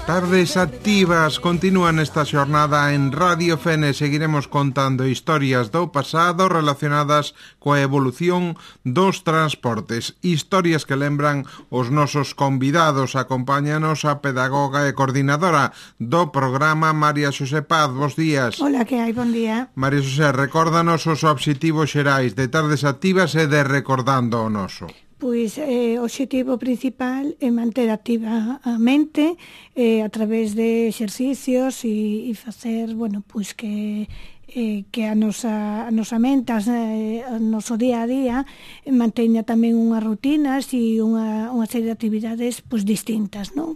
Tardes activas continúan esta xornada en Radio Fene. Seguiremos contando historias do pasado relacionadas coa evolución dos transportes. Historias que lembran os nosos convidados. Acompáñanos a pedagoga e coordinadora do programa, María Xosé Paz. Bos días. Hola, que hai? Bon día. María Xosé, recórdanos os obxectivos xerais de Tardes Activas e de Recordando o Noso. Pois o obxectivo principal é manter activa a mente a través de exercicios e facer, bueno, pois que a nosa mente, o noso día a día manteña tamén unhas rutinas e unha serie de actividades pois distintas, non?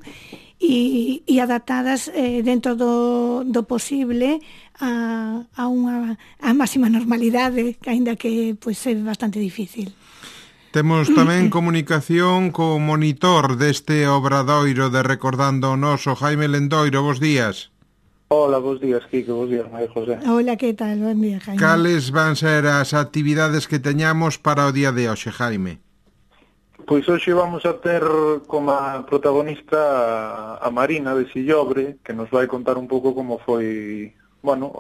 E adaptadas dentro do posible a máxima normalidade, aínda que pois é bastante difícil. Temos tamén comunicación co monitor deste obradoiro de Recordando o Noso, Jaime Lendoiro. Bos días. Hola, bos días, Quique, bos días, María José. Hola, que tal? Bon día, Jaime. Cales van ser as actividades que teñamos para o día de hoxe, Jaime? Pois hoxe vamos a ter como protagonista a Marina de Sillobre, que nos vai contar un pouco como foi, bueno,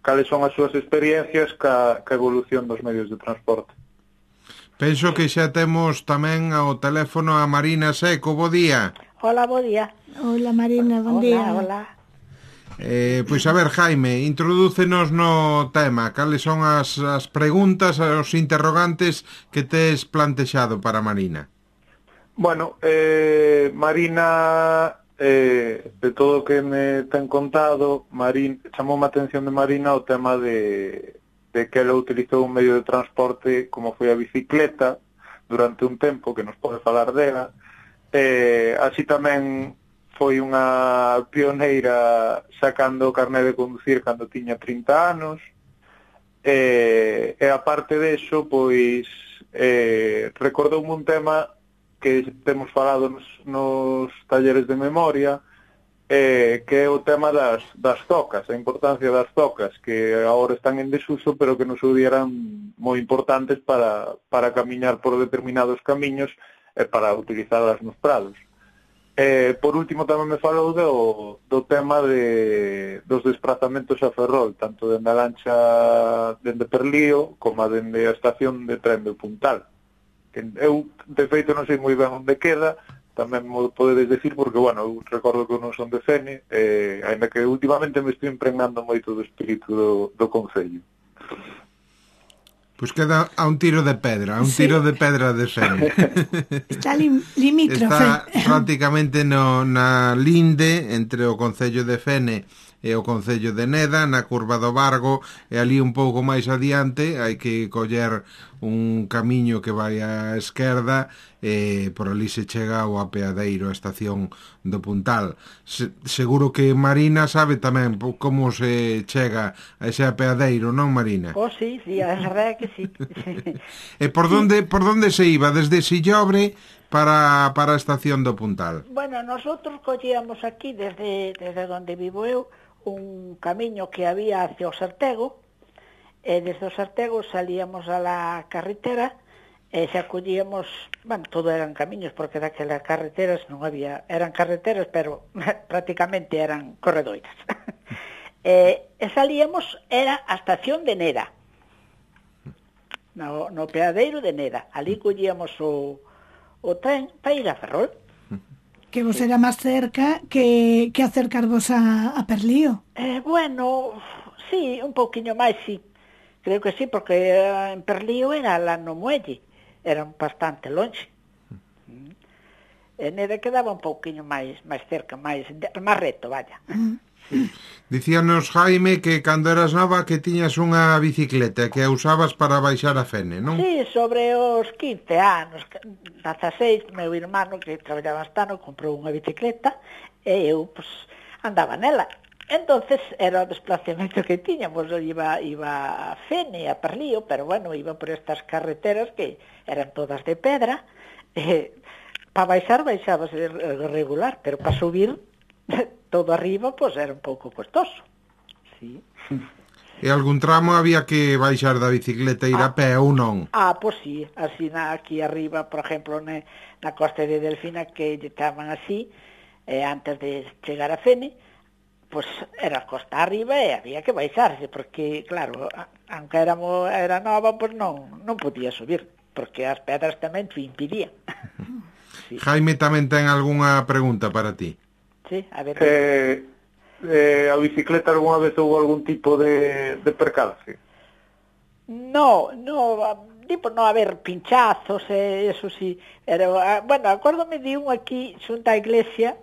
cales son as súas experiencias ca evolución dos medios de transporte. Penso que xa temos tamén ao teléfono a Marina Seco. Bo día. Hola, bo día. Hola, Marina, bon día. Hola. Pois a ver, Jaime, introdúcenos no tema. Cales son as preguntas, os interrogantes que tes plantexado para Marina? Bueno, Marina, de todo o que me ten contado, chamou a atención de Marina o tema de que ela utilizou un medio de transporte como foi a bicicleta durante un tempo, que nos pode falar dela. Así tamén foi unha pioneira sacando o carné de conducir cando tiña 30 anos. E aparte deso, pois recordoume un tema que temos falado nos talleres de memoria, que é o tema das zocas, a importancia das zocas, que agora están en desuso, pero que nos eran moi importantes para camiñar por determinados camiños e para utilizadas nos prados. Por último, tamén me falou do tema dos desplazamentos a Ferrol, tanto dende a lancha dende Perlío como dende a estación de tren do Puntal. Eu, de feito, non sei moi ben onde queda, tamén mo podedes decir, porque, bueno, eu recordo que non son de Fene, ainda que últimamente me estou impregnando moito do espírito do concello. Pois queda a un tiro de pedra, tiro de pedra de Fene. Está limítrofe. Está prácticamente na linde entre o concello de Fene e o concello de Neda, na curva do Vargo, e ali un pouco máis adiante hai que coller un camiño que vai á esquerda, e por ali se chega ao apeadeiro, a estación do Puntal. Seguro que Marina sabe tamén como se chega a ese apeadeiro, non, Marina? Oh, sí, a verdade é que sí. E por donde se iba? Desde Sillobre para a estación do Puntal? Bueno, nosotros collíamos aquí, desde onde vivo eu, un camiño que había hacia o Sartego, e desde o Sartego salíamos a la carretera e se acollíamos, bueno, todo eran camiños, porque daquelas carreteras non había, eran carreteras, pero prácticamente eran corredoiras. E salíamos, era a estación de Neda, no peadeiro de Neda. Ali collíamos o tren para ir a Ferrol. Que vos era máis cerca que acercarvos a Perlío. Bueno, sí, un pouquiño máis, sí. Creo que sí, porque en Perlío era lá no muelle. Era bastante longe. En Neda quedaba un pouquiño máis cerca, máis reto, vaya. Dicíanos, Jaime, que cando eras nova que tiñas unha bicicleta que a usabas para baixar a Fene, non? Sí, sobre os 15 anos, 16, meu irmán, que traballaba hasta comprou unha bicicleta e eu, pues, andaba nela. Entonces, era o desplazamento que tiñamos, iba a Fene, a Perlío, pero bueno, iba por estas carreteras que eran todas de pedra, para baixábase regular, pero para subir todo arriba, pois era un pouco costoso. Sí. E algún tramo había que baixar da bicicleta e ir a pé ou non? Pois sí, así aquí arriba, por exemplo, na costa de Delfina, que lle chaman así, E antes de chegar a Fene, pois era costa arriba e había que baixarse, porque, claro, aunque era nova, pois non podía subir, porque as pedras tamén te impidían. Sí. Jaime tamén ten algunha pregunta para ti. Sí, a ver. A bicicleta algunha vez houve algún tipo de percance? No, a ver, pinchazos, eso sí. Bueno, acórdome de un aquí xunta a iglesia,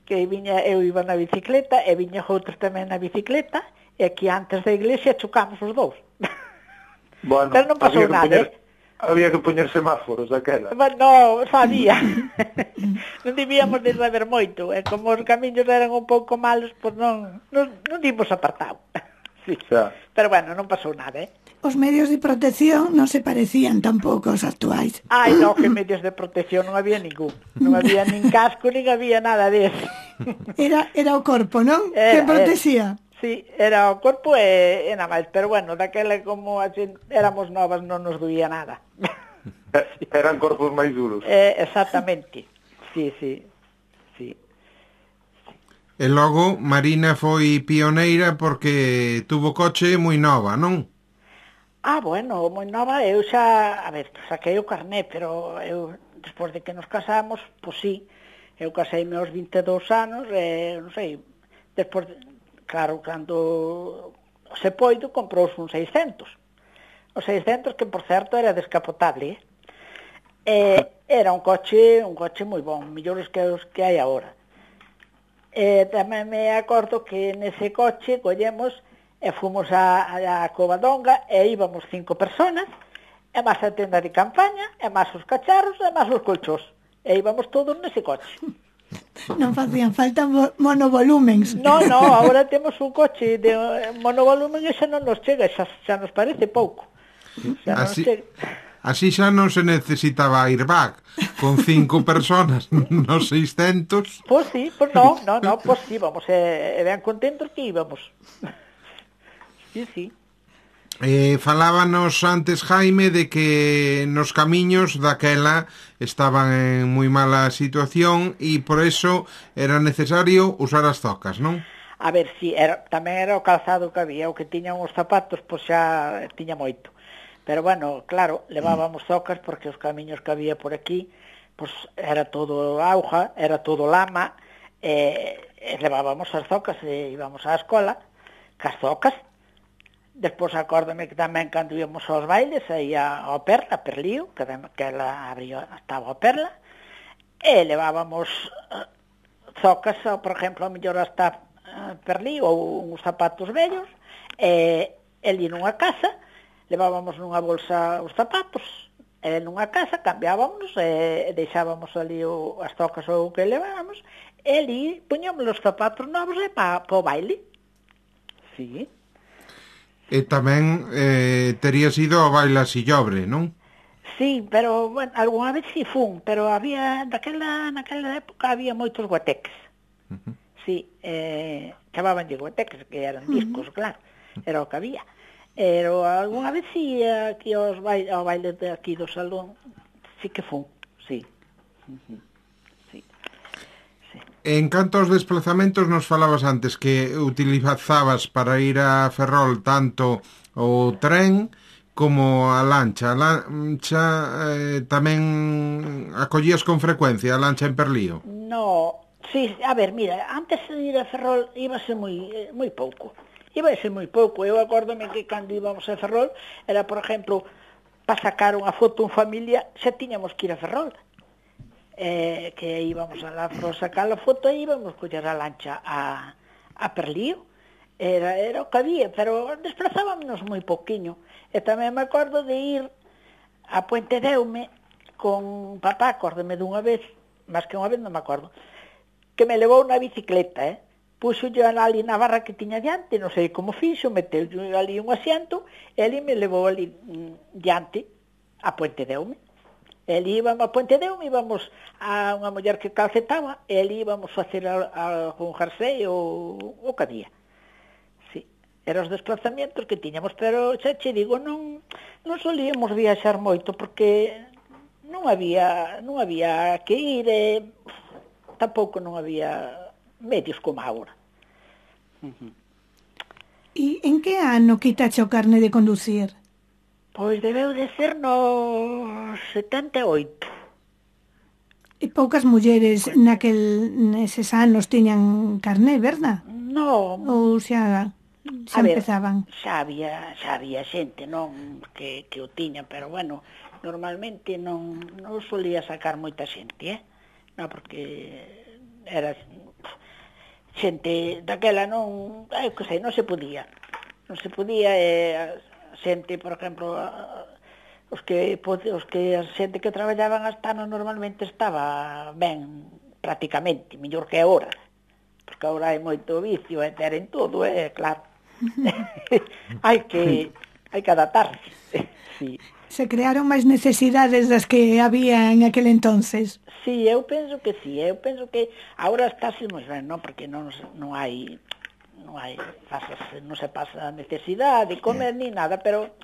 que eu iba na bicicleta e viña outros tamén na bicicleta e aquí antes da iglesia chocamos os dous. Bueno, pero non pasou nada, Había que poñer semáforos daquela. No, sabía. Non debíamos de saber moito, e como os camiños eran un pouco malos, pois non dimos apartado. Sí. Xa. Pero bueno, non pasou nada, Os medios de protección non se parecían tampouco aos actuais. Ai, no, que medios de protección non había ningún. Non había nin casco, nin había nada deso. Era o corpo, non? Que protexía. Sí, era o corpo e nada máis. Pero bueno, daquela como éramos novas non nos doía nada. Eran corpos máis duros. Exactamente. Sí. E logo, Marina foi pioneira porque tuvo coche moi nova, non? Bueno, moi nova, eu xa, saquei o carné, pero eu, despois de que nos casamos, pois sí, eu caseime aos 22 anos, non sei, despois, claro, cando se poido, comprouse un 600. O 600, que por certo era descapotable, era un coche moi bon, mellores que os que hai agora. Tamén me acordo que nese coche collemos e fomos a Covadonga e íbamos 5 personas, e máis a tenda de campaña, e máis os cacharros, e máis os colchós. E íbamos todos nese coche. Non facían falta monovolúmens. No, agora temos un coche de monovolumen e xa non nos chega, xa nos parece pouco. Así xa non se necesitaba airbag. Con 5 personas nos 600. Pois sí, pois no, pois sí, vamos, e ben contentos que íbamos. Sí. Falábanos antes, Jaime, de que nos camiños daquela estaban en moi mala situación e por eso era necesario usar as zocas, non? A ver, si, tamén era o calzado que había, o que tiñan os zapatos, pois xa tiña moito. Pero bueno, claro, levábamos zocas porque os camiños que había por aquí, pois era todo auga, era todo lama, e levábamos as zocas e íbamos á escola, cas zocas. Despois acórdame que tamén cando íamos aos bailes aí ao Perla, a Perlío, que ela estaba ao Perla, e levábamos zocas, por exemplo, a mellor hasta Perlío ou uns zapatos vellos, e ali nunha casa levábamos nunha bolsa os zapatos, e nunha casa cambiábamos e deixábamos ali as zocas ou o que levábamos, e ali puñamos os zapatos novos e para o baile. Sí. E tamén terías ido ao baile a Sillobre, non? Sí, pero, bueno, algunha vez sí fun, pero naquela época había moitos guateques. Sí, chamabanlle guateques, que eran discos, claro, era o que había. Pero algunha vez sí, aquí ao baile de aquí do salón, sí que fun, sí. En canto aos desplazamentos, nos falabas antes que utilizabas para ir a Ferrol tanto o tren como a lancha. A lancha tamén acollías con frecuencia, a lancha en Perlío? No, sí, a ver, mira, antes de ir a Ferrol íbase moi pouco. Eu acórdome que cando íbamos a Ferrol era, por exemplo, para sacar unha foto en familia, xa tiñamos que ir a Ferrol. Que íbamos a la sacar a foto e íbamos coller a lancha a Perlío. Era o que había, pero desplazábamos moi pouquiño. E tamén me acordo de ir a Puente Deume con papá, acórdome dunha vez, máis que unha vez non me acordo, que me levou na bicicleta, puxo yo ali na barra que tiña diante, non sei como fixo, meteu ali un asiento, e ali me levou ali diante a Puente Deume. E ali íbamos a Puente Deume, íbamos a unha muller que calcetaba, e ali íbamos facer algún jersey ou o que había. Sí, eran os desplazamientos que tiñamos, pero xa che digo, non solíamos viaxar moito, porque non había que ir, tampouco non había medios como agora. E en que ano quitache o carne de conducir? Pois debeu de ser no 78. E poucas mulleres neses anos tiñan carné, verdad? No, Ou xa empezaban? Xa había xente, non, que o tiña, pero bueno, normalmente non solía sacar moita xente, non, porque era xente daquela non, que sei, non se podía, xente, por exemplo, os que a xente que traballaban hasta ano normalmente estaba ben, prácticamente, mellor que agora, porque agora hai moito vicio e teren todo, claro. hai que adaptarse. Sí. Se crearon máis necesidades das que había en aquel entonces. Sí, eu penso que sí, agora estáse moi ben, non, porque non hai non se pasa necesidade de comer ni nada, pero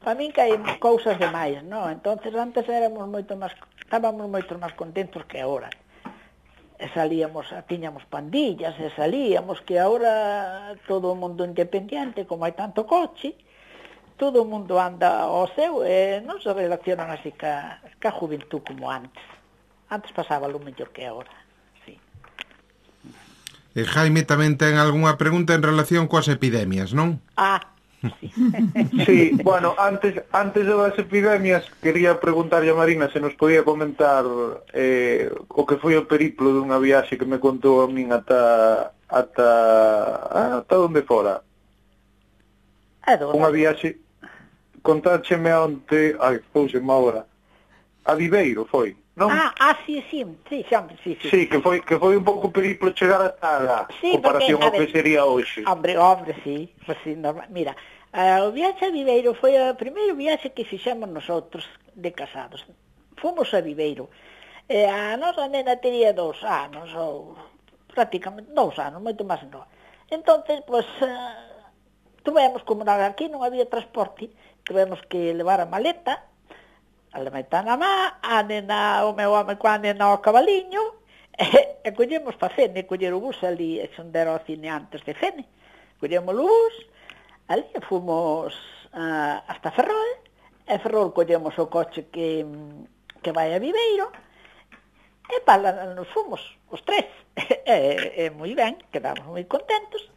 para min que hai cousas demais, non? Entonces antes estábamos moito máis contentos que agora. E tiñamos pandillas, e salíamos, que agora todo o mundo independiente, como hai tanto coche, todo o mundo anda ao seu, e non se relacionan así ca juventud como antes. Antes pasábalo mellor que agora, sí. E Jaime tamén ten algunha pregunta en relación coas epidemias, non? Sí. Sí, bueno, antes das epidemias quería preguntarlle a Marina se nos podía comentar o que foi o periplo dunha viaxe que me contou a min ata onde fora. Unha viaxe, contácheme onte, pouseme agora, a Viveiro foi, non? Sí, que foi un pouco periplo chegar ata lá, sí, comparación porque, ao que sería hoxe. Hombre, sí, pues sí, normal. Mira, o viaxe a Viveiro foi o primeiro viaxe que fixemos nosotros de casados. Fomos a Viveiro. A nosa nena tería 2 anos, ou prácticamente 2 anos, moito máis non. Entonces, pues, tuvemos, como aquí non había transporte, tuvemos que levar a maleta na má, a nena, o meu home coa nena ao cabaliño, e collemos pa Fene, coller o bus ali, onde era o cine antes de Fene. Collemos o bus, ali fomos hasta Ferrol, e Ferrol collemos o coche que vai a Viveiro, e para nos fomos, os 3, e moi ben, quedamos moi contentos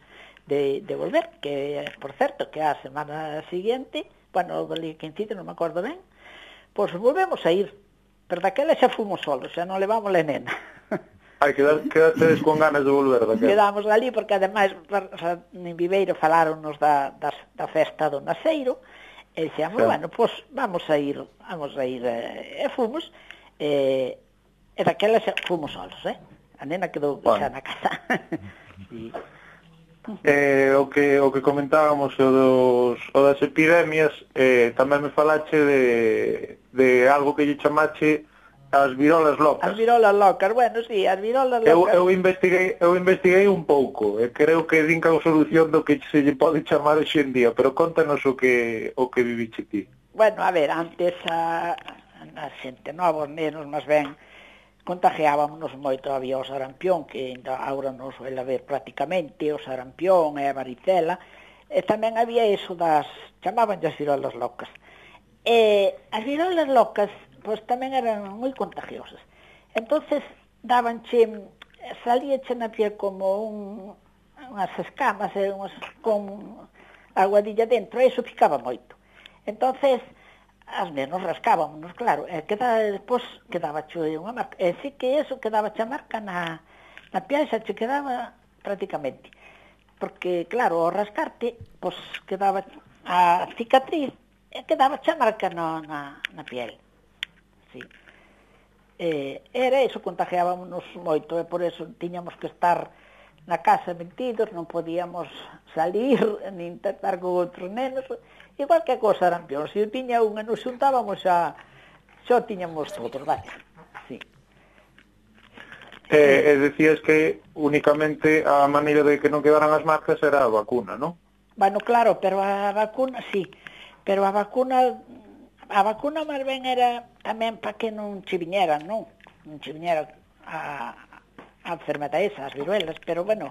de volver, que, por certo, que a semana siguiente, bueno, ali que incide, non me acordo ben, pois volvemos a ir, pero daquela xa fomos solos, xa non levamos a nena. Quedastedes con ganas de volver daquela. Quedamos ali, porque ademais en Viveiro faláronos da festa do Naceiro, e dixemos, bueno, pois vamos a ir, e fomos, e daquela xa fomos solos, a nena quedou xa na casa. Sí. O que comentábamos o das epidemias, tamén me falache de algo que lle chamache as virolas locas. As virolas locas, bueno, sí, as virolas locas. Eu investiguei un pouco, e creo que din que a solución do que se lle pode chamar hoxe en día, pero contanos o que viviche ti. Bueno, a ver, antes a xente nova, os nenos, máis ben, contagiábamos moito, había o sarampión, que agora non suele haber prácticamente, o sarampión e a varicela, e tamén había iso chamaban as virolas locas. E as virolas locas, pois tamén eran moi contagiosas. Entonces, salíache na piel como unhas escamas, con aguadilla dentro, e iso picaba moito. Entonces, as menos rascábamos, claro, e despois quedaba unha marca, e sí que eso quedaba a marca na piel, xa che quedaba prácticamente, porque claro, ao rascarte, pois quedaba a cicatriz, e quedaba a marca na piel, sí. Era iso, contagiábamos moito, e por eso tiñamos que estar na casa metidos, non podíamos salir, nin tratar con outros nenos, igual que co sarampión, se eu tiña unha, nos xuntábamos xa tiñamos todos, vale, sí. E decías que únicamente a maneira de que non quedaran as marcas era a vacuna, non? Bueno, claro, pero a vacuna, sí, pero a vacuna máis ben era tamén para que non che viñeran, non? Non che viñera a enfermedade esa, as viruelas, pero bueno,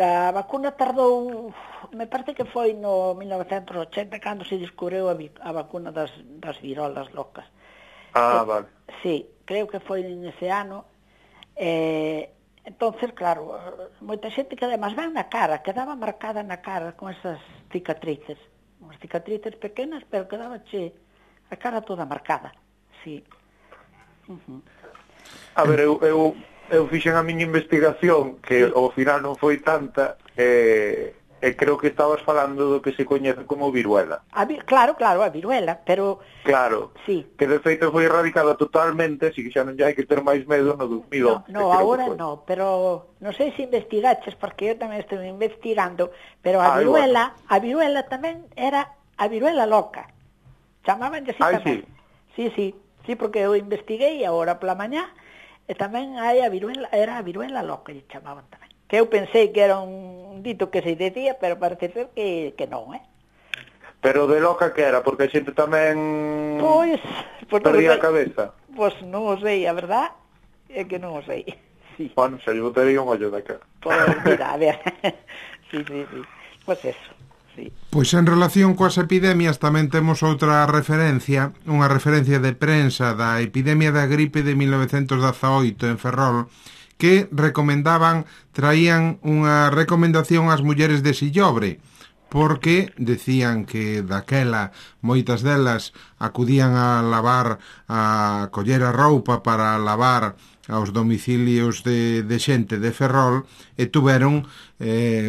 a vacuna tardou, me parece que foi no 1980 cando se descubriu a vacuna das virolas locas. Vale. Sí, creo que foi nese ano. Entonces, claro, moita xente que además ven na cara, quedaba marcada na cara con esas cicatrices, unhas cicatrices pequenas, pero quedaba a cara toda marcada, sí. A ver, eu fixen a miña investigación, que ao final non foi tanta, e creo que estabas falando do que se coñece como viruela. Claro, a viruela, pero... Claro, sí. Que de feito foi erradicada totalmente, así que xa non hai que ter máis medo no 2011. No, agora non, pero non sei se investigaches, porque eu tamén estou investigando, pero a viruela tamén era a viruela loca. Chamaban así tamén. Sí, porque eu investiguei agora pola mañá, e tamén hai era a viruela loca, lle chamaban tamén. Que eu pensei que era un dito que se decía, pero parece ser que non, Pero de loca que era, porque a xente tamén perdía a cabeza. Pois non o sei, a verdad é que non o sei. Sí. Bueno, se lle botaría un ollo da cara. Pois mira, a ver, sí. Pois eso, sí. Pois en relación coas epidemias tamén temos outra referencia, unha referencia de prensa da epidemia da gripe de 1918 en Ferrol, que traían unha recomendación ás mulleres de Sillobre, porque decían que daquela moitas delas acudían a coller a roupa para lavar aos domicilios de xente de Ferrol, e tuveron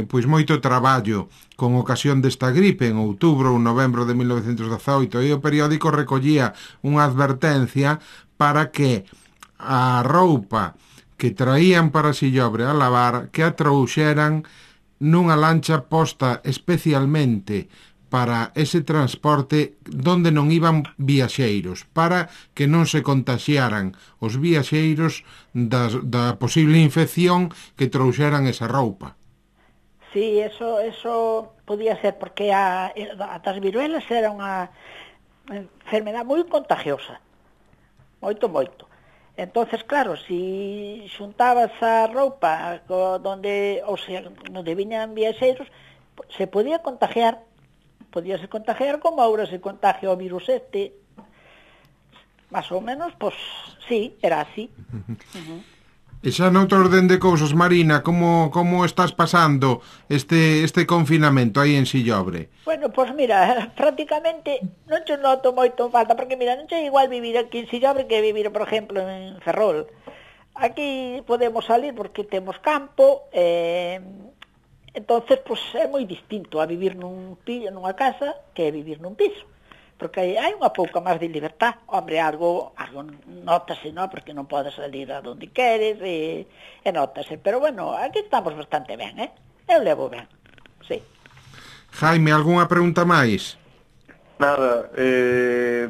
pois moito traballo con ocasión desta gripe en outubro ou novembro de 1918, e o periódico recollía unha advertencia para que a roupa que traían para Sillobre a lavar, que a trouxeran nunha lancha posta especialmente para ese transporte donde non iban viaxeiros, para que non se contaxiaran os viaxeiros da posible infección que trouxeran esa roupa. Sí, eso podía ser, porque as viruelas era unha enfermedade moi contagiosa, moito. Entonces, claro, si xuntabas a roupa onde viñan viaxeiros, se podíase contagiar como agora se contagia o virus más ou menos, pois sí, era así. E xa noutro orden de cousas, Marina, como estás pasando este confinamento aí en Sillobre? Bueno, pois mira, prácticamente non te noto moito falta, porque mira, non é igual vivir aquí en Sillobre que vivir, por exemplo, en Ferrol. Aquí podemos salir porque temos campo, entonces pois é moi distinto a vivir nunha casa que vivir nun piso. Porque hai unha pouca máis de libertad. Hombre, algo notase, non? Porque non podes salir a donde queres e notase. Pero bueno, aquí estamos bastante ben, Eu levo ben, sí. Jaime, algunha pregunta máis? Nada,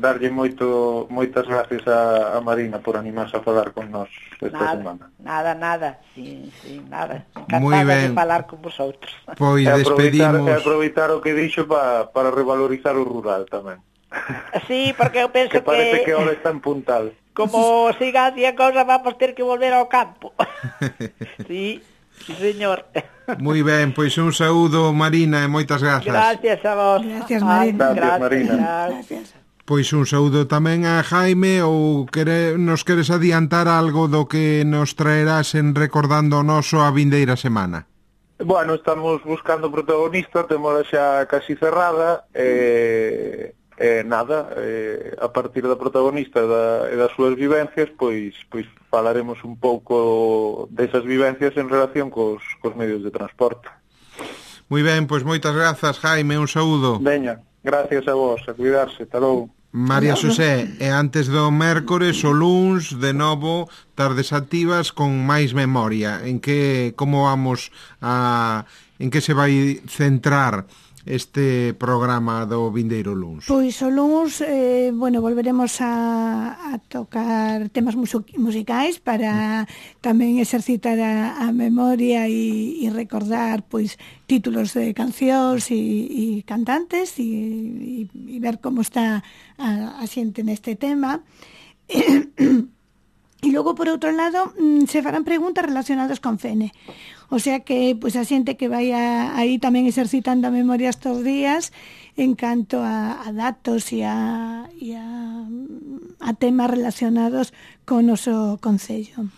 darlle moitas gracias a Marina por animarse a falar con nós esta semana. Nada, sí, nada. Encantada de falar con vosotros. Pois despedimos. Aproveitar o que dixo para revalorizar o rural tamén. Sí, porque eu penso que parece que ahora está en puntal. Como siga así a cousa, vamos ter que volver ao campo. Sí, señor. Moi ben, pois un saúdo, Marina, e moitas grazas. Gracias a vos. Gracias, Marina. Gracias, Marina. Gracias. Pois un saúdo tamén a Jaime, ou nos queres adiantar algo do que nos traerás en Recordando o Noso a vindeira semana? Bueno, estamos buscando protagonista, temos xa casi cerrada, a partir da protagonista e das súas vivencias, pois falaremos un pouco desas vivencias en relación cos medios de transporte. Moi ben, pois moitas grazas, Jaime, un saúdo. Veña, gracias a vos, a cuidarse, hasta logo. María Xosé, e antes do mércores o luns, de novo, tardes activas con máis memoria. En que se vai centrar este programa do vindeiro luns? Pois o luns, volveremos a tocar temas musicais para tamén exercitar a memoria e recordar pois títulos de cancións e cantantes e ver como está a xente neste tema. E logo, por outro lado, se farán preguntas relacionadas con Fene. O sea que, pois, a xente que vai aí tamén exercitando a memoria estes días en canto a datos e a temas relacionados con o noso concello.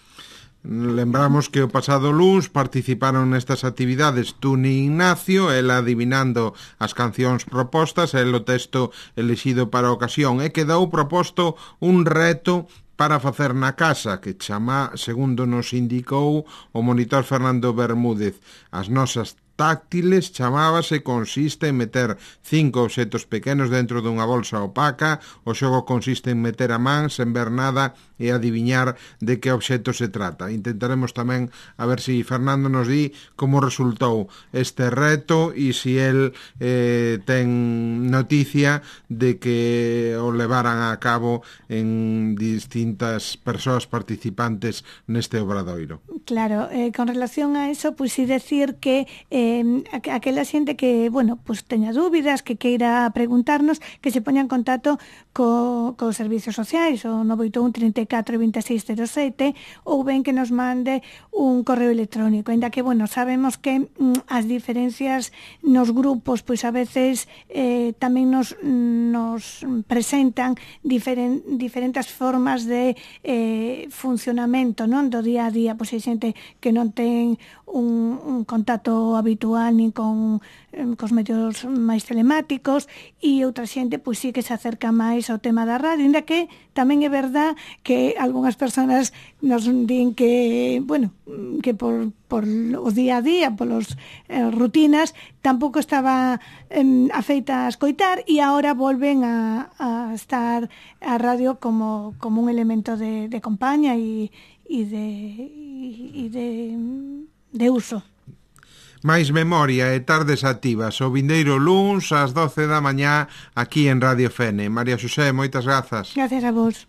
Lembramos que o pasado luns participaron nestas actividades Tuni Ignacio, ela adivinando as cancións propostas, el o texto elexido para a ocasión, e quedou proposto un reto para facer na casa, que chama, segundo nos indicou o monitor Fernando Bermúdez, as nosas táctiles, chamábase, consiste en meter 5 obxetos pequenos dentro dunha bolsa opaca. O xogo consiste en meter a man sen ver nada e adiviñar de que obxeto se trata. Intentaremos tamén a ver se Fernando nos di como resultou este reto e se el ten noticia de que o levaran a cabo en distintas persoas participantes neste obradoiro. Claro, con relación a eso, pois si decir que aquela xente que, bueno, pois teña dúbidas, que queira preguntarnos, que se poña en contacto cos servicios sociais, o 981 34 2607, ou ben que nos mande un correo electrónico, ainda que, bueno, sabemos que as diferencias nos grupos, pois a veces tamén nos presentan diferentes formas de funcionamento, non, do día a día, pois hai xente que non ten un contacto habitual nin cos medios máis telemáticos, e outra xente pois sí que se acerca máis ao tema da radio, ainda que tamén é verdad que algunhas persoas nos din que, bueno, que por o día a día, polos rutinas, tampouco estaba afeita a escoitar, e agora volven a estar a radio como un elemento de compaña e de uso. Máis memoria e tardes activas o vindeiro luns ás 12 da mañá aquí en Radio Fene. María Xosé, moitas grazas. Gracias a vos.